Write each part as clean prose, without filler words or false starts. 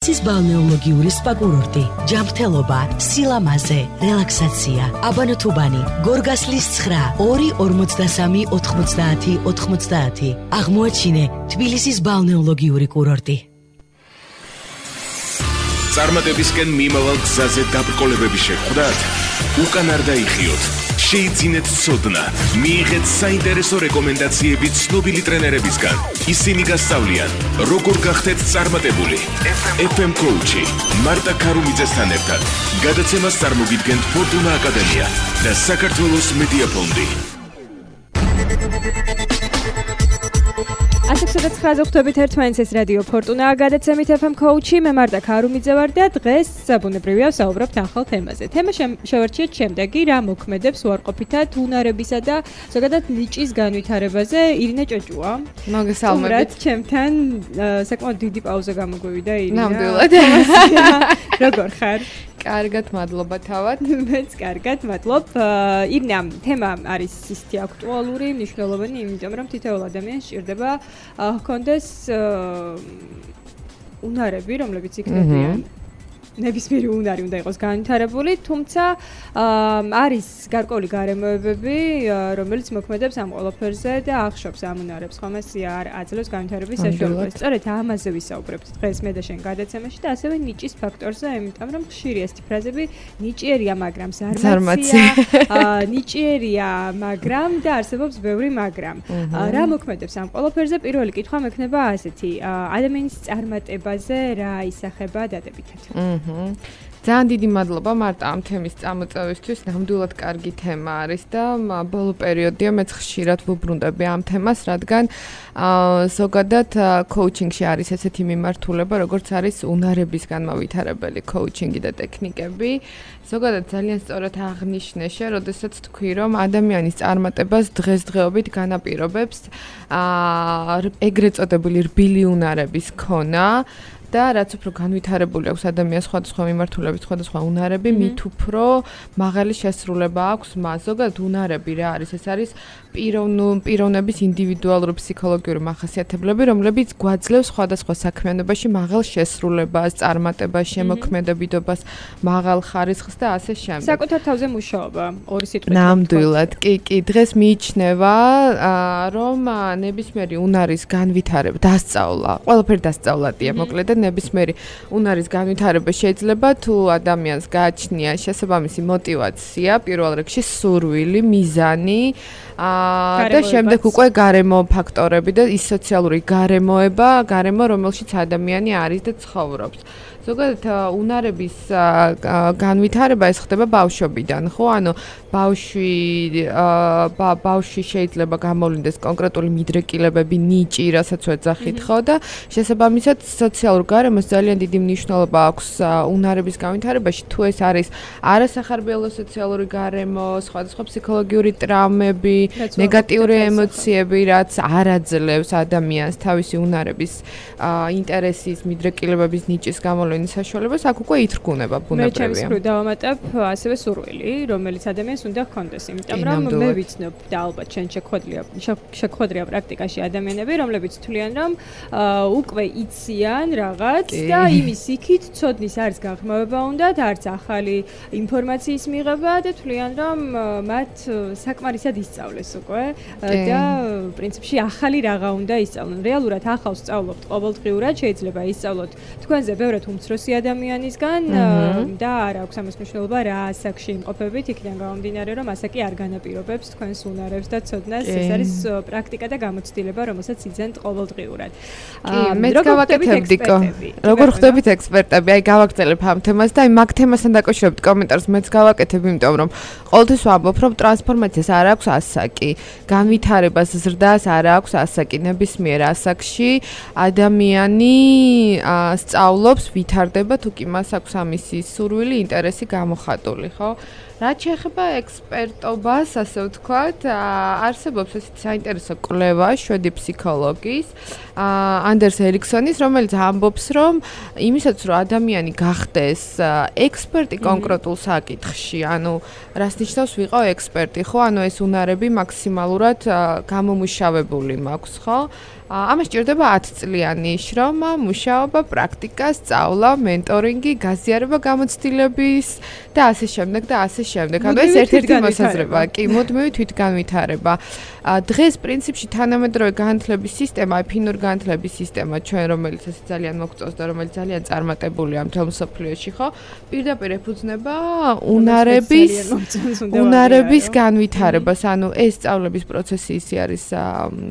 cis balneologიური spa კურორტი, ჯანმრთელობა, სილამაზე, რელაქსაცია, აბანოთუბანი, გორგასლის 9 253 90 90. აღმოაჩინე თბილისის ბალნეოლოგიური კურორტი. წარმატებისკენ მიმავალ გზაზე დაბრკოლებები შეხვდათ? უკან არ დაიხიოთ. შეიძინეთ ცოდნა, მიიღეთ საინტერესო რეკომენდაციები ცნობილი ტრენერებისგან. ისინი გასწავლიან, როგორ გახდეთ წარმატებული. FM Coach-ი მარტა ქარუმიძესთან ერთად. გადაცემას წარმოგიდგენთ ფორტუნა აკადემია და საქართველოს მედია ფონდი. ასექსოდაც ხაზობთ ერთმანეთს ეს რადიო ფორტუნა გადაცემით FM Coach-ი, მე მარტა ქარუმიძე ვარ და დღეს საბუნებრივია ვსაუბრობთ ახალ თემაზე. თემა შევარჩიეთ შემდეგი, რა მოქმედებს უარყოფითად უნარებისა და ზოგადად ნიჭის განვითარებაზე. ირინა ჭოჭუა. მოგესალმებით. ჩემთან საკმაოდ დიდი პაუზა გამოგვივიდა ირინა. ნამდვილად. როგორ ხარ? კარგად, მადლობა თავად. მეც კარგად, მადლობ. ირინა, თემა არის ისეთი აქტუალური, მნიშვნელოვანი, იმიტომ რომ თითოეულ ადამიანს სჭირდება ჰქონდეს უნარები, რომლებიც იქნებიან ნებისმიერი უნარი უნდა იყოს განვითარებული, თუმცა არის გარკვეული გარემოებები, რომელიც მოქმედებს ამ ყველაფერზე და ახშობს ამ უნარებს, ხომ ეს არ აძლევს განვითარების საშუალებას. სწორედ ამაზე ვისაუბრებთ დღეს მე და შენ გადაცემაში და ასევე ნიჭის ფაქტორზე, იმიტომ რომ ხშირი ეს ფრაზები ნიჭიერია, მაგრამ ზარმაცია, ნიჭიერია, მაგრამ და არსებობს ბევრი მაგრამ. რა მოქმედებს ამ ყველაფერზე? პირველი კითხვა მექნება ასეთი: ადამიანის წარმატებაზე რა ისახება დადებითად? ძალიან დიდი მადლობა მარტა ამ თემის წამოწევისთვის. ნამდვილად კარგი თემა არის და ბოლო პერიოდია მეც ხშირად ვუბრუნდები ამ თემას, რადგან ზოგადად კოუჩინგში არის ესეთი მიმართულება, როგორც არის უნარების განმავითარებელი კოუჩინგი და ტექნიკები. ზოგადად ძალიან სწორად აღნიშნე შე, როდესაც თქვი, რომ ადამიანის წარმატებას დღესდღეობით განაპირობებს ეგრეთ წოდებული რბილი უნარების ქონა. და რაც უფრო განვითარებული აქვს ადამიანს სხვადასხვა მიმართულებით, სხვადასხვა უნარები, მით უფრო მაღალი შესრულება აქვს მას. ზოგადად უნარები რა არის? ეს არის პიროვნების ინდივიდუალური ფსიქოლოგიური მახასიათებლები, რომლებიც გვაძლევს სხვადასხვა საქმიანობაში მაღალ შესრულებას, წარმატებას, შემოქმედებითობას, მაღალ ხარისხს და ასე შემდეგ. საკუთარ თავზე მუშაობა, ორი სიტყვით. ნამდვილად, კი, დღეს მიიჩნევა, რომ ნებისმიერი უნარის განვითარება, დასწავლა, ყველაფერი დასწავლადია, მოკლედ და ნებისმიერი უნარის განვითარება შეიძლება თუ ადამიანს გააჩნია შესაბამისი мотиваცია, პირველ რიგში სურვილი, მიზანი და შემდეგ უკვე გარემო ფაქტორები და ის სოციალური გარემო, რომელშიც ადამიანი არის და ცხოვრობს. ზოგადად უნარების განვითარება ეს ხდება ბავშვობიდან, ხო? ანუ ბავშვი შეიძლება გამოვლინდეს კონკრეტული მიდრეკილებები, ნიჭი, რასაც ვეძახით, ხო? და შესაბამისად სოციალურ გარემოს ძალიან დიდი მნიშვნელობა აქვს უნარების განვითარებაში, თუ ეს არის არასახარბიელო სოციალური გარემო, სხვადასხვა ფსიქოლოგიური ტრავმები, ნეგატიური ემოციები, რაც არ აძლევს ადამიანს თავისი უნარების ინტერესის, მიდრეკილებების, ნიჭის გამოვლის საშუალებას, აქ უკვე ითრგუნება ბუნებრივია. მე ჩემს მხრივ დავამატებ ასევე სურვილი, რომელიც ადამიანს უნდა ჰქონდეს, იმიტომ რომ მე ვიცნობ და ალბათ შენ შეგვხვედრია პრაქტიკაში ადამიანები, რომლებიც თვლიან, რომ უკვე იციან რაღაც და იმის იქით ცოდნის არც გაღრმავება უნდათ, არც ახალი ინფორმაციის მიღება და თვლიან, რომ მათ საკმარისად ისწავლეს უკვე და პრინციპში ახალი რაღაც უნდა ისწავლონ. რეალურად ახალს სწავლობთ ყოველდღიურად, შეიძლება ისწავლოთ თქვენზე ბევრად უმცროსი ადამიანისგან და არ აქვს ამას მნიშვნელობა რა ასაკში იმყოფებით, იქიდან გამომდინარე, რომ ასაკი არ განაპირობებს თქვენს უნარებს და ცოდნას. ეს არის პრაქტიკა და გამოცდილება, რომელსაც იძენთ ყოველდღიურად. მეც გავაკეთებდიკო. როგორ ხვდებით ექსპერტები? აი გავაგრძელებ ამ თემას და აი მაგ თემასთან დაკავშირებით კომენტარს მეც გავაკეთებ, იმიტომ რომ ყოველთვის ვამბობ, რომ ტრანსფორმაციას არ აქვს ასაკი, განვითარებას, ზრდას არ აქვს ასაკი. ნებისმიერ ასაკში ადამიანი სწავლობს, ვითარდება, თუ კი მას აქვს ამისი სურვილი, ინტერესი გამოხატული, ხო? რაც შეეხება ექსპერტობას, ასე ვთქვათ, არსებობს ესეთი საინტერესო კვლევა შვედი ფსიქოლოგის, ანდერს ერიქსონის, რომელიც ამბობს, რომ იმისაც, რომ ადამიანი გახდეს ექსპერტი კონკრეტულ საკითხში, ანუ რას ნიშნავს ვიყო ექსპერტი, ხო? ანუ ეს უნარები მაქსიმალურად გამომუშავებული მაქვს, ხო? ამას ჭირდება 10 წლიანი შრომა, მუშაობა, პრაქტიკა, სწავლა, მენტორინგი, გაზიარება გამოცდილების და ასე შემდეგ და ასე შემდეგ. ანუ ეს ერთ-ერთი მოსაზრება, კი, მუდმივი თვითგანვითარება. დღეს პრინციპში თანამედროვე განათლების სისტემა, ფინური განათლების სისტემა, ჩვენ რომელიც ასე ძალიან მოგწონს და რომელიც ძალიან წარმატებულია მთელ მსოფლიოში, ხო? პირდაპირ ეფუძნება უნარების განვითარებას. ანუ ეს სწავლების პროცესი ისე არის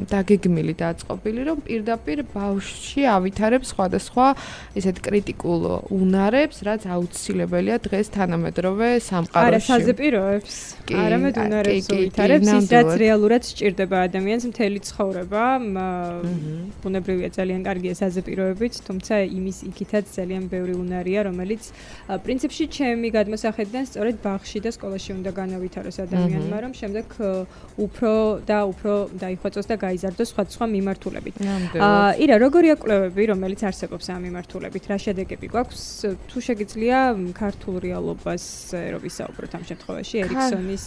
დაგეგმილი და აწყობილი, რომ პირდაპირ ბავშვში ავითარებს სხვადასხვა ესეთ კრიტიკულ უნარებს, რაც აუცილებელია დღეს თანამედროვე სამყაროში. არასაზეპიროებს, არამედ უნარებს უვითარებს, ის რაც რეალურად სჭირდება ადამიანს მთელი ცხოვრება. ბუნებრივია ძალიან კარგია საზეპიროებით, თუმცა იმის იქითაც ძალიან ბევრი უნარია, რომელიც პრინციპში ჩემი გადმოსახედიდან სწორედ ბაღში და სკოლაში უნდა განავითაროს ადამიანმა, რომ შემდეგ უფრო დაიხვეწოს და გაიზარდოს სხვადასხვა მიმართულებით. ირა, როგორია კვლევები, რომელიც არსებობს ამ მიმართულებით? რა შედეგები გვაქვს? თუ შეგიძლია ქართულ რეალობაზე რო ვისაუბროთ ამ შემთხვევაში, ერიქსონის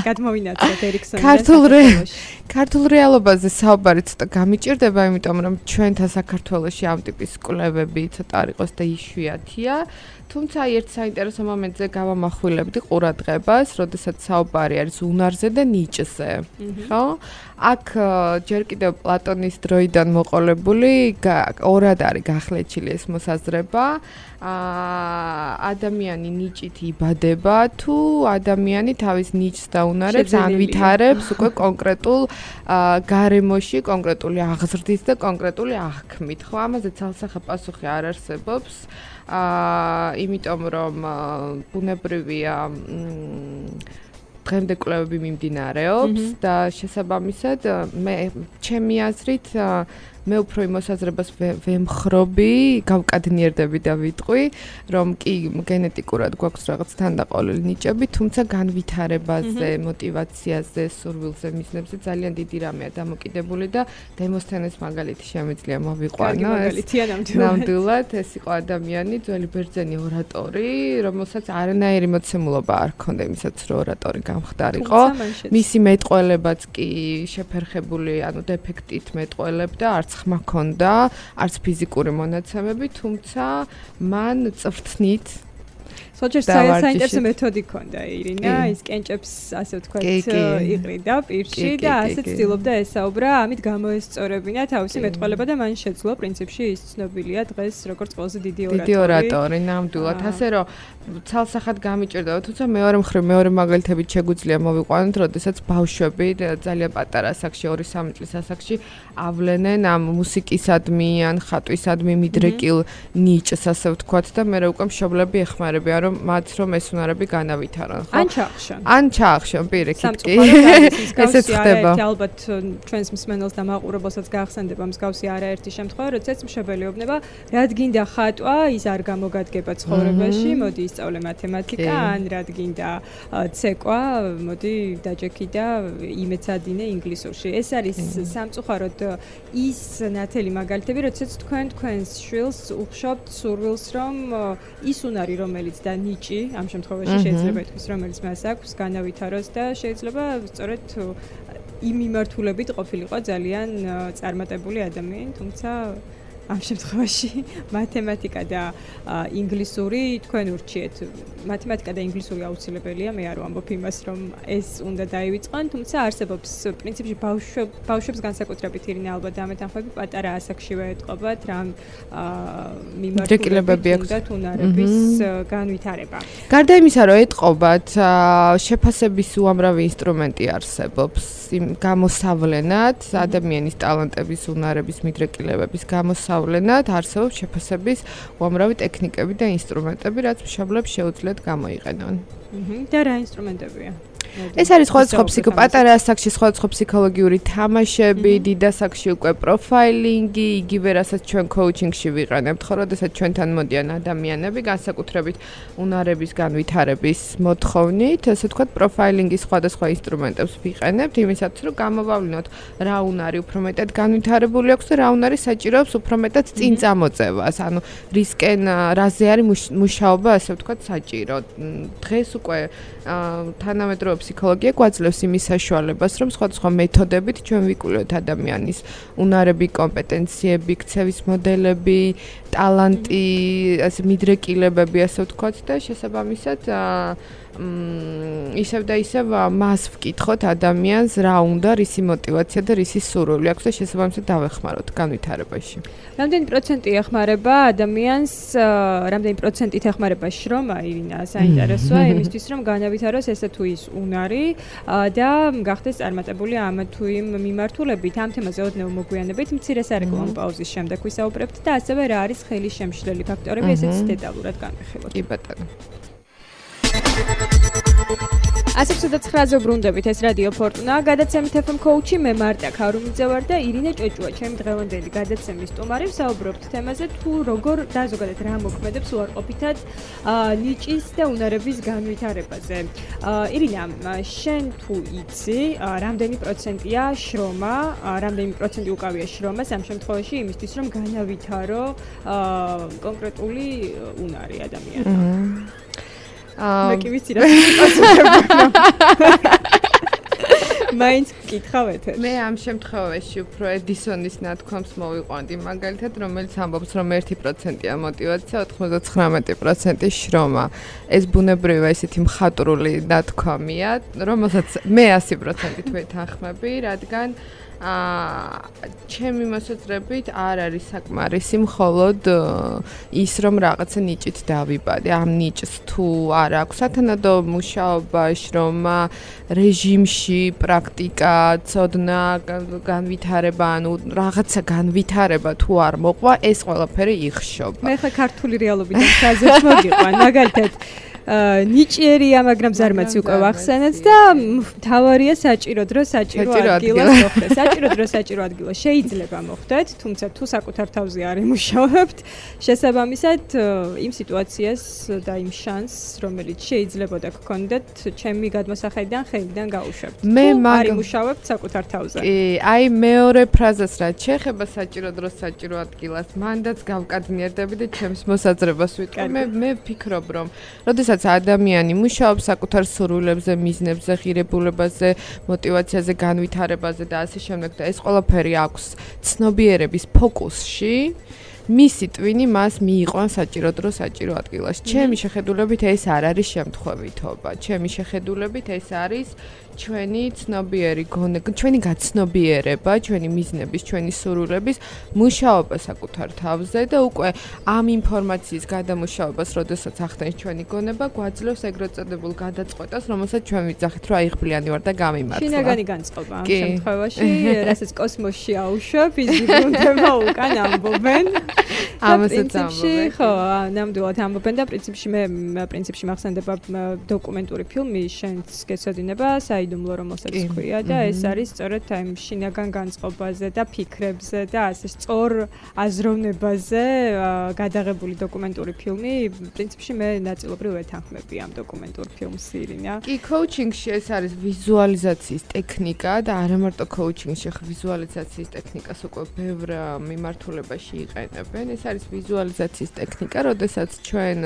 გადმოვინაცვლოთ ერიქსონის ქართულ რეალობაზე საუბარი ცოტა გამიჭირდება, იმიტომ რომ ჩვენთან საქართველოში ამ ტიპის კვლევები ცოტა არ იყოს და იშვიათია. თუმცა ერთ საინტერესო მომენტზე გავამახვილებდი ყურადღებას, როდესაც საუბარი არის უნარზე და ნიჭზე. ხო? აქ ჯერ კიდევ პლატონის დროიდან მოყოლებული ორად არის გახლეჩილი ეს მოსაზრება. ადამიანი ნიჭით იბადება თუ ადამიანი თავის ნიჭს და უნარებს ანვითარებს უკვე კონკრეტულ გარემოში, კონკრეტული აღზრდით და კონკრეტული აღქმით. ხო, ამაზე ცალსახე პასუხი არ არსებობს. იმიტომ რომ ბუნებრივია დღემდე კვლევები მიმდინარეობს და შესაბამისად ჩემი აზრით მე უფრო იმ მოსაზრებას ვემხრობი, გავკადნიერდები და ვიტყვი, რომ კი გენეტიკურად გვაქვს რაღაც თანდაყოლილი ნიჭები, თუმცა განვითარებაზე, мотиваციაზე, სურვილზე, მიზნებზე ძალიან დიდი რამეა დამოკიდებული და დემოსთენეს მაგალითი შემიძლია მოვიყვანო. ნამდვილად ეს იყო ადამიანი, ძველი ბერძენი ორატორი, რომელსაც არანაირი მოცემულობა არ ჰქონდა იმისაც, რომ ორატორი გამხდარიყო. მისი მეტყველებაც კი შეფერხებული, ანუ დეფექტით მეტყველებდა, არც ხმა ჰქონდა, არც ფიზიკური მონაცემები, თუმცა მან წვრთნით სოჭერს საინტერესო მეთოდი ჰქონდა ირინა, ის კენჭებს ასე ვთქვათ იყრიდა პირში და ასე ცდილობდა ესაუბრა, ამით გამოესწორებინა თავისი მეტყველება და მან შეძლო პრინციპში ის ცნობილია დღეს როგორც ყველაზე დიდი ორატორი, ნამდვილად. ასე რომ ცალსახად გამიჭირდება, თუმცა მეორე მაგალითებით შეგვიძლია მოვიყვანოთ, როდესაც ბავშვები ძალიან პატარა ასაკში, 2-3 წლის ასაკში ავლენენ ამ მუსიკისადმი ან ხატვისადმი მიდრეკილ ნიჭს, ასე ვთქვათ და მე უკვე მშობლები ეხმარებიან რომ მათ რომ ეს უნარები განავითარონ, ხო? ან ჩაახშონ პირიქით კი. ესეც ხდება. ალბათ ჩვენს მსმენელს და მაყურებელსაც გაახსენდება მსგავსი არაერთი შემთხვევა, როდესაც მშობელი რად გინდა ხატვა, ის არ გამოგადგება ცხოვრებაში, მოდი ისწავლე მათემატიკა, ან რად გინდა ცეკვა, მოდი დაჯექი და იმეცადინე ინგლისურში. ეს არის სამწუხაროდ ის ნათელი მაგალითები, როდესაც თქვენს შვილს უხშობთ სურვილს, რომ ის უნარი, რომელიც და ნიჭი ამ შემთხვევაში შეიძლება ითქვას, რომელიც მას აქვს, განავითაროს და შეიძლება სწორედ იმ მიმართულებით ყოფილიყო ძალიან წარმატებული ადამიანი, თუმცა ამ შემთხვევაში მათემატიკა და ინგლისური თქვენ ურჩიეთ. მათემატიკა და ინგლისური აუცილებელია, მე არ ვამბობ იმას, რომ ეს უნდა დაივიწყონ, თუმცა არსებობს პრინციპში ბავშვებს განსაკუთრებით ირინა ალბათ ამეთანხმები პატარა ასაკშივე ეთყობათ, რამ მიმართულებები აქვს უნარების განვითარება. გარდა იმისა, რომ ეთყობათ, შეფასების უამრავი ინსტრუმენტი არსებობს, გამოსავლენად, ადამიანის ტალანტების, უნარების, მიდრეკილებების გამოსავლენად არსებობს შეფასების უამრავი ტექნიკები და ინსტრუმენტები, რაც მშობლებს შეუძლიათ გამოიყენონ. და რა ინსტრუმენტებია? ეს არის სხვადასხვა პატარა ასაკში სხვადასხვა ფსიქოლოგიური თამაშები, დიდ ასაკში უკვე პროფაილინგი, იგივე რასაც ჩვენ კოუჩინგში ვიყენებთ, ხო, როდესაც ჩვენთან მოდიან ადამიანები განსაკუთრებით უნარების განვითარების მოთხოვნით, ასე ვთქვათ, პროფაილინგის სხვადასხვა ინსტრუმენტებს ვიყენებთ, იმისათვის, რომ გამოვავლინოთ, რა უნარი უფრო მეტად განვითარებული აქვს და რა უნარი საჭიროებს უფრო მეტად წინ წამოწევას, ანუ რისკენ რაზე არის მუშაობა, ასე ვთქვათ, საჭირო. დღეს უკვე თანამედროვე ფსიქოლოგია გვაძლევს იმის საშუალებას, რომ სხვადასხვა მეთოდებით ჩვენ ვიკვლევთ ადამიანის უნარები, კომპეტენციები, ქცევის მოდელები, ტალანტი, ასე მიდრეკილებები, ასე ვთქვათ და შესაბამისად ისევ და ისევ მას ვკითხოთ ადამიანს რა უნდა, რისი мотиваცია და რისი სურვილი აქვს და შესაბამისად დავეხმაროთ განვითარებაში. რამდენი პროცენტი ეხმარება ადამიანს, რამდენი პროცენტით ეხმარება შრომა, ირინა, საინტერესოა იმისთვის, რომ განავითაროს ესე თუ ის უნარი და გახდეს წარმატებული ამ თუ იმ მიმართულებით. ამ თემაზე ოდნავ მოგვიანებით მცირე სარეკლამო პაუზის შემდეგ ვისაუბრებთ და ასევე რა არის ხელი შემშლელი ფაქტორები, ესეც დეტალურად განვიხილოთ. კი ბატონო. 109-ზე ვბრუნდებით, ეს რადიო ფორტუნა, გადაცემით FM coach-ი, მე მარტა ქარუმიძე ვარ და ირინე ჭოჭუა, ჩემი დღევანდელი გადაცემის სტუმარი. ვსაუბრობთ თემაზე, თუ როგორ და ზოგადად რა მოქმედებს უარყოფითად ნიჭის და უნარების განვითარებაზე. ირინა, შენ თუ იცი, რამდენი პროცენტია შრომა, რამდენი პროცენტი უკავია შრომას ამ შემთხვევაში იმისთვის, რომ განავითარო კონკრეტული უნარი ადამიანმა? მე კი ვიცი რა პასუხებია. მაინც გკითხავთ. მე ამ შემთხვევაში უფრო ედისონის ნათქვამს მოვიყვანდი, მაგალითად, რომელიც ამბობს, რომ 1%-ია мотиваცია, 99% შრომა. ეს ბუნებრივია ესეთი მხატვრული ნათქვამია, რომელსაც მე 100%-ით ვეთანხმები, რადგან ჩემი მოსაზრებით არ არის საკმარისი მხოლოდ ის რომ რაღაცა ნიჭით დავიბადე. ამ ნიჭს თუ არ აქვს სათანადო მუშაობა, შრომა, რეჟიმში, პრაქტიკა, ცოდნა, განვითარება, ანუ რაღაცა განვითარება თუ არ მოყვა, ეს ყველაფერი იხშობა. მე ხა ქართული რეალობიდან ხაზებს მოგიყვან, მაგალითად ნიჭიერია, მაგრამ ზარმაცი უკვე ვახსენეთ და თავარია საჭირო დრო საჭირო ადგილას მოხდეს. საჭირო დრო საჭირო ადგილას შეიძლება მოხდეთ, თუმცა თუ საკუთარ თავზე არ იმუშავებთ, შესაბამისად იმ სიტუაციას და იმ შანსს, რომელიც შეიძლება და გქონდეთ, ჩემი გადმოსახედიდან ხელიდან გაუშვებთ. მე არ იმუშავებთ საკუთარ თავზე. კი, აი მეორე ფრაზას რაც შეეხება საჭირო დრო საჭირო ადგილას, მანდაც გავკადნიერდები და ჩემს მოსაზრებას ვიტყვი. მე ვფიქრობ, რომ როდესაც ადამიანი მუშაობს საკუთარ სურვილებზე, მიზნებზე, ღირებულებაზე, мотиваციაზე, განვითარებაზე და ასე შემდეგ და ეს ყველაფერი აქვს ცნობიერების ფოკუსში, მისი ტვინი მას მიიყვანს საჭირო დრო საჭირო ადგილას. ჩემი შეხედულებით ეს არ არის შემთხვევითობა. ჩემი შეხედულებით ეს არის ჩვენი ცნობიერი გონება, ჩვენი გაცნობიერება, ჩვენი მიზნების, ჩვენი სურვილების მუშაობა საკუთარ თავზე და უკვე ამ ინფორმაციის გადამუშავებას, როდესაც ახდენს ჩვენი გონება, გვაძლევს ეგრეთ წოდებულ გადაწყვეტას, რომელსაც ჩვენ ვიძახით, რომ აიღბლიანი ვარ და გამიმართლა. შინაგანი განწყობა ამ შემთხვევაში, რასაც კოსმოსში აუშვა, ფიზიკურმა უკან ამბობენ. ამასაც ამბობენ. ხო, ნამდვილად ამბობენ და პრინციპში მახსენდება დოკუმენტური ფილმი, შენც გეცოდინება, საიდუმლო რომელსაც ქვია და ეს არის სწორედ აი შინაგან განწყობაზე და ფიქრებზე და ასე სწორ აზროვნებაზე გადაღებული დოკუმენტური ფილმი. პრინციპში მე ნაწილობრივ ვეთანხმები ამ დოკუმენტურ ფილმს, ირინა. კი, კოუჩინგში ეს არის ვიზუალიზაციის ტექნიკა და არა მარტო კოუჩინგში, ხო ვიზუალიზაციის ტექნიკას უკვე ბევრ მიმართულებაში იყენებენ. ეს არის ვიზუალიზაციის ტექნიკა, როდესაც ჩვენ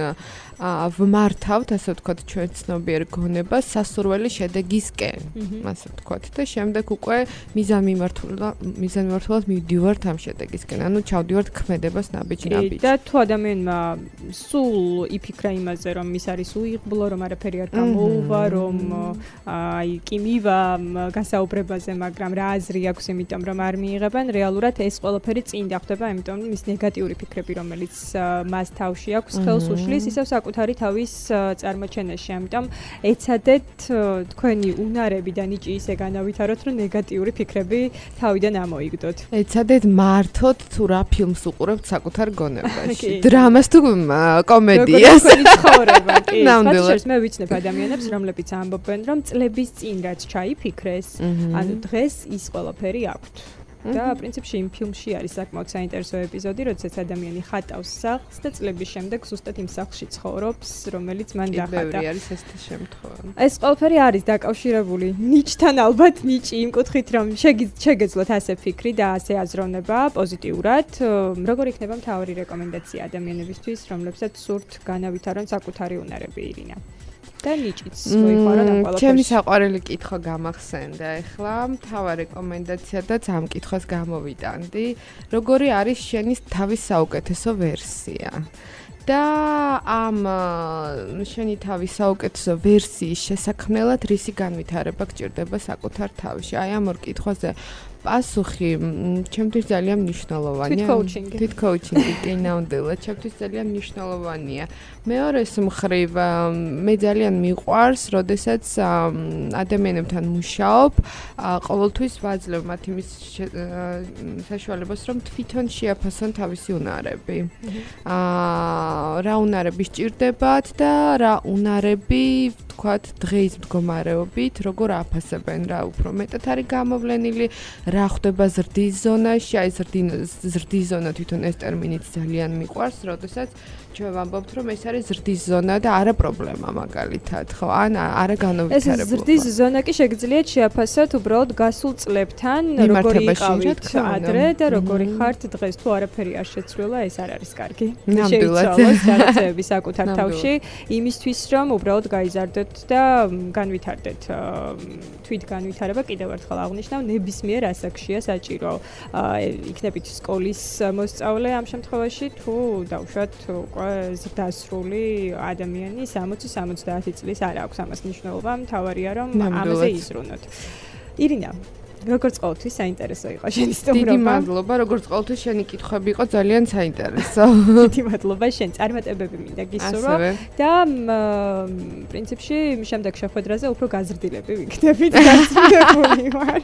ვმართავთ, ასე ვთქვათ, ჩვენ ცნობიერ გონებას სასურველი შედეგისკენ, ასე ვთქვათ და შემდეგ უკვე მიზანმიმართულად მივდივართ ამ შედეგისკენ, ანუ ჩავდივართ ქმედებას ნაბიჯ-ნაბიჯ. და თუ ადამიანმა სულ იფიქრა იმაზე, რომ ის არის უიღბლო, რომ არაფერი არ გამოუვა, რომ აი კი მივა გასაუბრებაზე, მაგრამ რა აზრი აქვს იმიტომ, რომ არ მიიღებენ, რეალურად ეს ყველაფერი წინ დახვდება, იმიტომ რომ ის ნეგატიური ფიქრები, რომელიც მას თავში აქვს, ხელს უშლის ისევ საკუთარი თავის წარმოჩენაში. ამიტომ ეცადეთ თქვენი უნარები და ნიჭი ისე განავითაროთ, რომ ნეგატიური ფიქრები თავიდან ამოიგდოთ. ეცადეთ მართოთ თუ რა ფილმს უყურებთ საკუთარ გონებაში. დრამას თუ კომედიას. ცხოვრება, კი. ნამდვილად მე ვიცნობ ადამიანებს, რომლებიც ამბობენ, რომ წლების წინ რაც ჩაიფიქრეს, ანუ დღეს ის ყველაფერი აქვთ. და პრინციპში იმ ფილმში არის საკმაოდ საინტერესო ეპიზოდი, როდესაც ადამიანი ხატავს სახლს და წლების შემდეგ ზუსტად იმ სახლში ცხოვრობს, რომელიც მან დახატა. ბევრი არის ესეთი შემთხვევა. ეს ყველაფერი არის დაკავშირებული ნიჭთან, ალბათ ნიჭი იმ კუთხით, რომ შეგეძლოთ ასე ფიქრი და ასე აზროვნება პოზიტიურად. როგორ იქნება მთავარი რეკომენდაცია ადამიანებისთვის, რომლებსაც სურთ განავითარონ საკუთარი უნარები, ირინა? და ნიჭიც მოიხარა ამ ყველაფერს. ჩემი საყვარელი კითხვა გამახსენდა ახლა, მთავარ რეკომენდაციადაც ამ კითხვას გამოვიტანდი. როგორი არის შენი თავის საუკეთესო ვერსია? და ამ შენი თავის საუკეთესო ვერსიის შესაქმნელად რისი განვითარება გჭირდება საკუთარ თავში? აი ამ ორ კითხვაზე პასუხი ჩემთვის ძალიან მნიშვნელოვანია. თვით კოუჩინგი კი ნამდვილად ჩემთვის ძალიან მნიშვნელოვანია. მეორეს მხრივ მე ძალიან მიყვარს, როდესაც ადამიანებთან მუშაობ, ყოველთვის ვაძლევ მათ იმის საშუალებას, რომ თვითონ შეაფასონ თავისი უნარები. რა უნარები სჭირდებათ და რა უნარები ვთქვათ დღეის მდგომარეობით, როგორ აფასებენ, რა უფრო მეტად არის გამოვლენილი, რა ხდება ზრდის ზონაში, აი ზრდის ზონა თვითონ ეს ტერმინიც ძალიან მიყვარს, როდესაც ჩვენ ვამბობთ, რომ ეს არის ზრდის ზონა და არა პრობლემა მაგალითად, ხო? ან არა განავითარებულობა. ეს ზრდის ზონა კი შეგიძლიათ შეაფასოთ უბრალოდ გასულ წლებთან, როგორი იყავით ადრე და როგორი ხართ დღეს. თუ არაფერი არ შეცვლილა, ეს არ არის კარგი. შეიცვალოს ჯანმრთელობის საკუთარ თავში, იმისთვის რომ უბრალოდ გაიზარდოთ და განვითარდეთ. თვით განვითარება კიდევ ერთხელ აღნიშნავ, ნებისმიერ ასაკშია საჭირო. იქნებით სკოლის მოსწავლე ამ შემთხვევაში, თუ დავუშვათ უკვე ზრდასრული ადამიანი 60-70 წლის არ აქვს ამას მნიშვნელობა, მთავარია რომ ამაზე იზრუნოთ. ირინა, როგორც ყოველთვის საინტერესო იყო შენი სტუმრობა. დიდი მადლობა, როგორც ყოველთვის შენი კითხვები იყო ძალიან საინტერესო. დიდი მადლობა შენ, წარმატებები მინდა გისურვო და პრინციპში შემდეგ შეხვედრაზე უფრო გაზრდილები ვიქნებით, გასწრებული ვარ.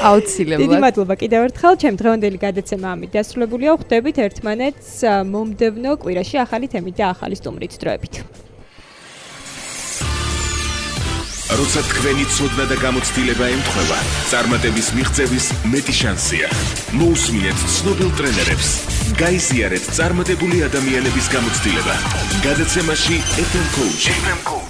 აუცილებლად. დიდი მადლობა კიდევ ერთხელ, ჩემ დღევანდელი გადაცემა ამით დასრულებულია. ხვდებით ერთმანეთს მომდევნო კვირაში ახალი თემით და ახალი სტუმრით დროებით. როცა თქვენი ცოდნა და გამოცდილება ემთხვევა, წარმატების მიღწევის მეტი შანსია. მოусმინეთ ცნობილ ტრენერებს. გაიზიარეთ წარმატებული ადამიანების გამოცდილება. გადაცემაში FM Coach.